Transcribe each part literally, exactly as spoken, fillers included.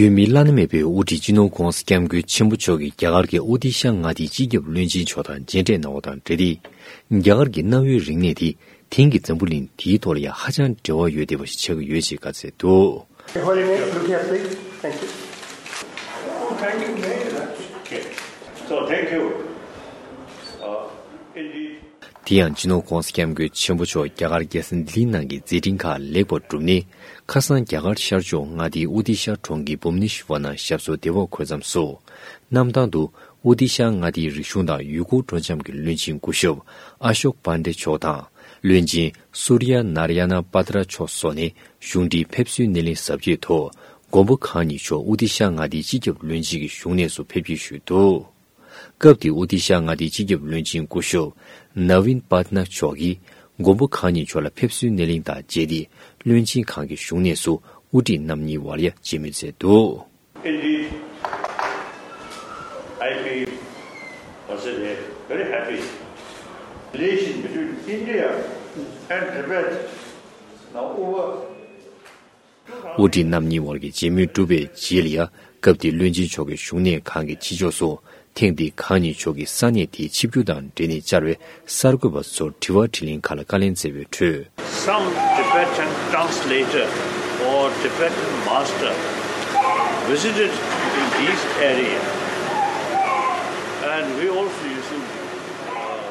རྒྱུས་མེད་བླ་ན་མེད་པའི་དབུ་ཁྲིད་སྤྱི་ནོར་༧གོང་ས་༧སྐྱབས་མགོན་ཆེན་པོ་མཆོག་གིས་རྒྱ་གར་གྱི་ཨོ་ཏི་ཤ་མངའ་སྡེའི་སྤྱི་ཁྱབ་བློན་ཆེན་མཆོག་དང་མཇལ་འཕྲད་གནང་བ་དང་འབྲེལ་ཏེ། རྒྱ་གར་གྱི་གནའ་བོའི་རིག་གནས་དེ་དེང་གི་འཛམ་བུ་གླིང་འདིའི་ཐོག་ལ་ཡང་ཧ་ཅང་འབྲེལ་བ་ཡོད་བསྡད་པ་ཞིག་ཆགས་ཀྱི་ཡོད་ཅེས་བཀའ་སྩལ་འདུག། Holy name, look here, please. Thank you. Oh, thank you very much. Okay. So, thank you. Uh, indeed. དེ་ཡང་སྤྱི་ནོར་༧གོང་ས་༧སྐྱབས་མགོན་ཆེན་པོ་མཆོག་རྒྱ་གར་རྒྱལ་ས་ལྡི་ལི་ནང་གི་མཛད་འཕྲིན་ཁག་ལེགས་པར་བསྒྲུབས་ནས། ཁ་སང་རྒྱ་གར་ཤར་ཕྱོགས་མངའ་སྡེའི་ཨོ་ཏི་ཤ་གྲོང་ཁྱེར་བྷུབ་ནེ་ཤི་ཝར་ནང་ཞབས་སོར་བདེ་བར་འཁོད་མཚམས་སུ། གནམ་ཐང་དུ་ཨོ་ཏི་ཤ་མངའ་སྡེའི་རིག་གཞུང་དང་ཡུལ་སྐོར་སྤྲོ་འཆམ་གྱི་བློན་ཆེན་སྐུ་ཞབས་ཨ་ཤོག་པན་ཌེ་མཆོག་དང་། བློན་ཆེན་སུར་ཡ་ནཱར་ཡ་ན་པ་ཏྲ་མཆོག་སོགས་ནས་གཞུང་འབྲེལ་ཕེབས་བསུའི་སྣེ་ལེན་གཟབ་རྒྱས་ཐོག་མགོན་པོ་གང་ཉིད་མཆོག་ཨོ་ཏི་ཤ་མངའ་སྡེའི་སྤྱི་ཁྱབ་བློན་ཆེན་གྱི་བཞུགས་གནས་སུ་ཕེབས་སྐྱེལ་ཞུས་འདུག། སྐབས་དེའི་ཨོ་ཏི་ཤ་མངའ་སྡེའི་སྤྱི་ཁྱབ་བློན་ཆེན་སྐུ་ཞབས་ནཱ་ཝིན་པཱ་ཏ་ནག་མཆོག་གིས་མགོན་པོ་གང་ཉིད་མཆོག་ལ་ཕེབས་བསུའི་སྣེ་ལེན་དང་མཇལ་ཏེ། བློན་ཆེན་ཁང་གི་བཞུགས་གནས་སུ་དབུ་ཁྲིད་རྣམ་གཉིས་བར་ཡ་མཇལ་མོལ་མཛད་འདུག། Indeed, I feel personally very happy. Relation between India and Tibet now over དབུ་ཁྲིད་རྣམ་གཉིས་བར་གྱི་མཇལ་མོལ་གྲུབ་པའི་རྗེས་ལ་ཡང་། སྐབས་དེའི་བློན་ཆེན་མཆོག་གི་བཞུགས་གནས་ཁང་གི་ཕྱི་ཕྱོགས་སུ། ཐེངས་འདིའི་གང་ཉིད་མཆོག་གིས་ས་གནས་དེའི་ཆིབས་བསྒྱུར་དང་འབྲེལ་ནས་བཅར་བའི་གསར་འགོད་པ་ཚོར་དྲི་བ་དྲིས་ལན་ཁག་ལ་བཀའ་ལན་སྩལ་བའི་ཁྲོད། Some Tibetan translator or Tibetan master visited in these areas, and we also used to, uh,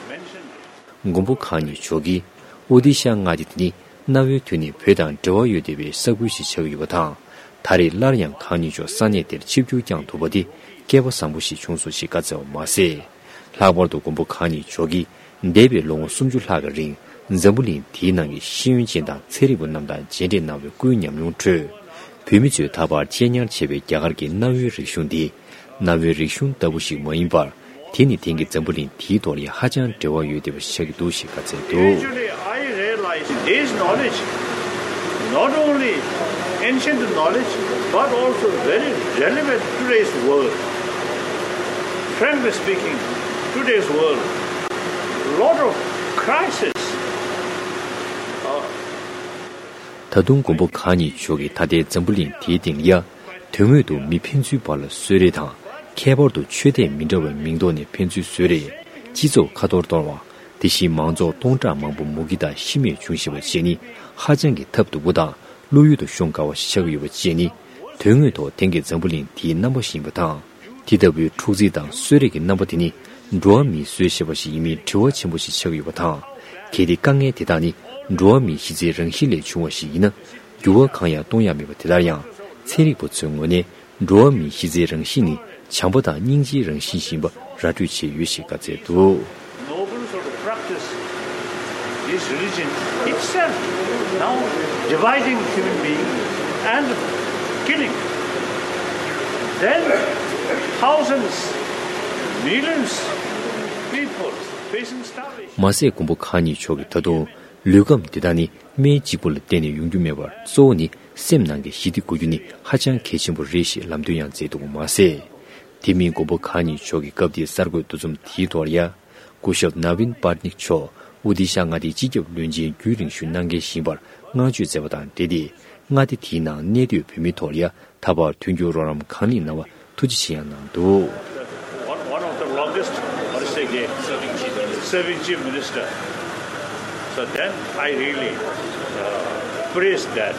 mention it. མགོན་པོ་གང་ཉིད་མཆོག་གིས་ཨོ་ཏི་ཤ་མངའ་སྡེ་དེ་ནི་གནའ་བོའི་དུས་ནས་བོད་དང་འབྲེལ་བ་ཡོད་བསྡད་པའི་ས་ཁུལ་ཞིག་ཆགས་ཀྱི་ཡོད་པ་དང་། ད་རེས་སླར་ཡང་གང་ཉིད་མཆོག་ས་གནས་དེར་ཆིབས་བསྒྱུར་བསྐྱངས་ཐུབ་པ་དེ་སྐལ་པ་བཟང་པོ་ཞིག་བྱུང་སོང་ཞེས་བཀའ་སྩལ་བ་མ་ཟད། ལྷག་པར་དུ་མགོན་པོ་གང་ཉིད་མཆོག་གིས་འདས་པའི་ལོ་ངོ་སུམ་ཅུ་ལྷག་གི་རིང་འཛམ་བུ་གླིང་དེའི་ནང་གི་ཤེས་ཡོན་ཅན་དང་ཚན་རིག་པ་རྣམས་དང་མཇལ་འཕྲད་གནང་བའི་སྐུའི་ཉམས་མྱོང་ཁྲོད། བོད་མི་ཚོས་ད་བར་གཅེས་ཉར་བྱས་པའི་རྒྱ་གར་གྱི་གནའ་བོའི་རིག་གཞུང་འདི། གནའ་བོའི་རིག་གཞུང་ལྟ་བུ་ཞིག་མ་ཡིན་པར། དེ་ནི་དེང་གི་འཛམ་བུ་གླིང་འདིའི་ཐོག་ལ་ཧ་ཅང་འབྲེལ་བ་ཡོད་བསྡད་པ་ཞིག་ཆགས་ཀྱི་འདུག་ཞེས་བཀའ་སྩལ་འདུག། Gradually, I realized today's knowledge, not only ancient knowledge, but also very relevant to today's world. Frankly speaking, today's world, lot of crisis, uh, ད་དུང་མགོན་པོ་གང་ཉིད་མཆོག་གིས་ད་ལྟའི་འཛམ་བུ་གླིང་འདིའི་སྟེང་ལ་ཡ། དོན་དངོས་སུ་མི་ཕན་ཚུན་བར་ལ་གསོད་རེས་དང་། ཁྱད་པར་དུ་ཆོས་དད་མི་འདྲ་བའི་མིང་ཐོག་ནས་ཕན་ཚུན་གསོད་རེས། སྤྱི་ཚོགས་ཁ་འཐོར་གཏོང་བ། དེ་བཞིན་མང་ཚོགས་སྟོང་ཕྲག་མང་པོ་མུ་གེ་དང་ཤི་རྨས་བྱུང་བཞིན་པ་བཅས་ནི་ཧ་ཅང་གི་ཐབས་སྡུག་པོ་དང་བློ་ཡུལ་དུ་ཤོང་དཀའ་བ་ཞིག་ཆགས་ཀྱི་ཡོད་པ་བཅས་ནི། དོན་དངོས་ཐོག་དེང་གི་འཛམ་བུ་གླིང་འདིའི་རྣམ་པ་ཞིག་ཡིན་པ་དང་། དེ་ལྟ་བུའི་འཁྲུག་འཛིང་དང་གསོད་རེས་ཀྱི་རྣམ་པ་དེ་ནི་འགྲོ་བ་མིའི་བཟོས་བྱས་པ་ཞིག་ཡིན་མིན་དྲི་བ་ཆེན་པོ་ཞིག་ཆགས་ཀྱི་ཡོད་པ་དང་། གལ་ཏེ་དཀའ་ངལ་དེ་དག་ནི་འགྲོ་བ་མིའི་གཞི་རྩའི་རང་བཞིན་ལས་བྱུང་བ་ཞིག་ཡིན་ན། འགྱུར་བ་གང་ཡང་གཏོང་ཡ་མེད་པ་དེ་ལྟར་ཡང་། ཚན་རིག་པ་ཚོའི་ངོས་ནས་འགྲོ་བ་མིའི་གཞི་རྩའི་རང་བཞིན་ནི་བྱམས་པ་དང་སྙིང་རྗེའི་རང་བཞིན་ཞིག་ཡིན་པ་ར་སྤྲོད་བྱས་ཡོད་ཞེས་བཀའ་སྩལ་འདུག། Nobles of the practice, this religion itself now dividing human being and killing. Then thousands, millions people facing starvation. མ་ཟད་མགོན་པོ་གང་ཉིད་མཆོག་གིས་ད་དུང་ལུས་ཁམས་འདི་དག་ནི་སྨན་གཅིག་པུ་ལ་བརྟེན་ནས་ཡོང་རྒྱུ་མེད་པར་གཙོ་བོ་ནི་སེམས་ནང་གི་ཞི་བདེ་དགོས་རྒྱུ་ནི་ཧ་ཅང་གལ་ཆེན་པོ་རེད་ཞེས་ལམ་སྟོན་ཡང་མཛད་འདུག་པ་མ་ཟད། དེ་མིན་མགོན་པོ་གང་ཉིད་མཆོག་གིས་སྐབས་དེའི་གསར་འགོད་འདུ་འཛོམས་དེའི་ཐོག་ལ་ཡ། སྐུ་ཞབས་ནཱ་ཝིན་པར་ནིག་མཆོག་ཨོ་ཏི་ཤ་མངའ་སྡེའི་སྤྱི་ཁྱབ་བློན་ཆེན་རྒྱུན་རིང་ཞུ་གནང་མཁན་ཞིག་ཡིན་པར་བསྔགས་བརྗོད་མཛད་པ་དང་འབྲེལ་ཏེ། མངའ་སྡེ་དེའི་ནང་གནས་སྡོད་བོད་མིའི་ཐོག་ལ་ཡ། ད་བར་མཐུན་འགྱུར་རོགས་རམ་གང་ལེགས་གནང་བར་ཐུགས་རྗེ་ཆེ་ཡང་གནང་འདུག། One, one of the longest, what is it again? Serving chief minister. So then I really, uh, praise that.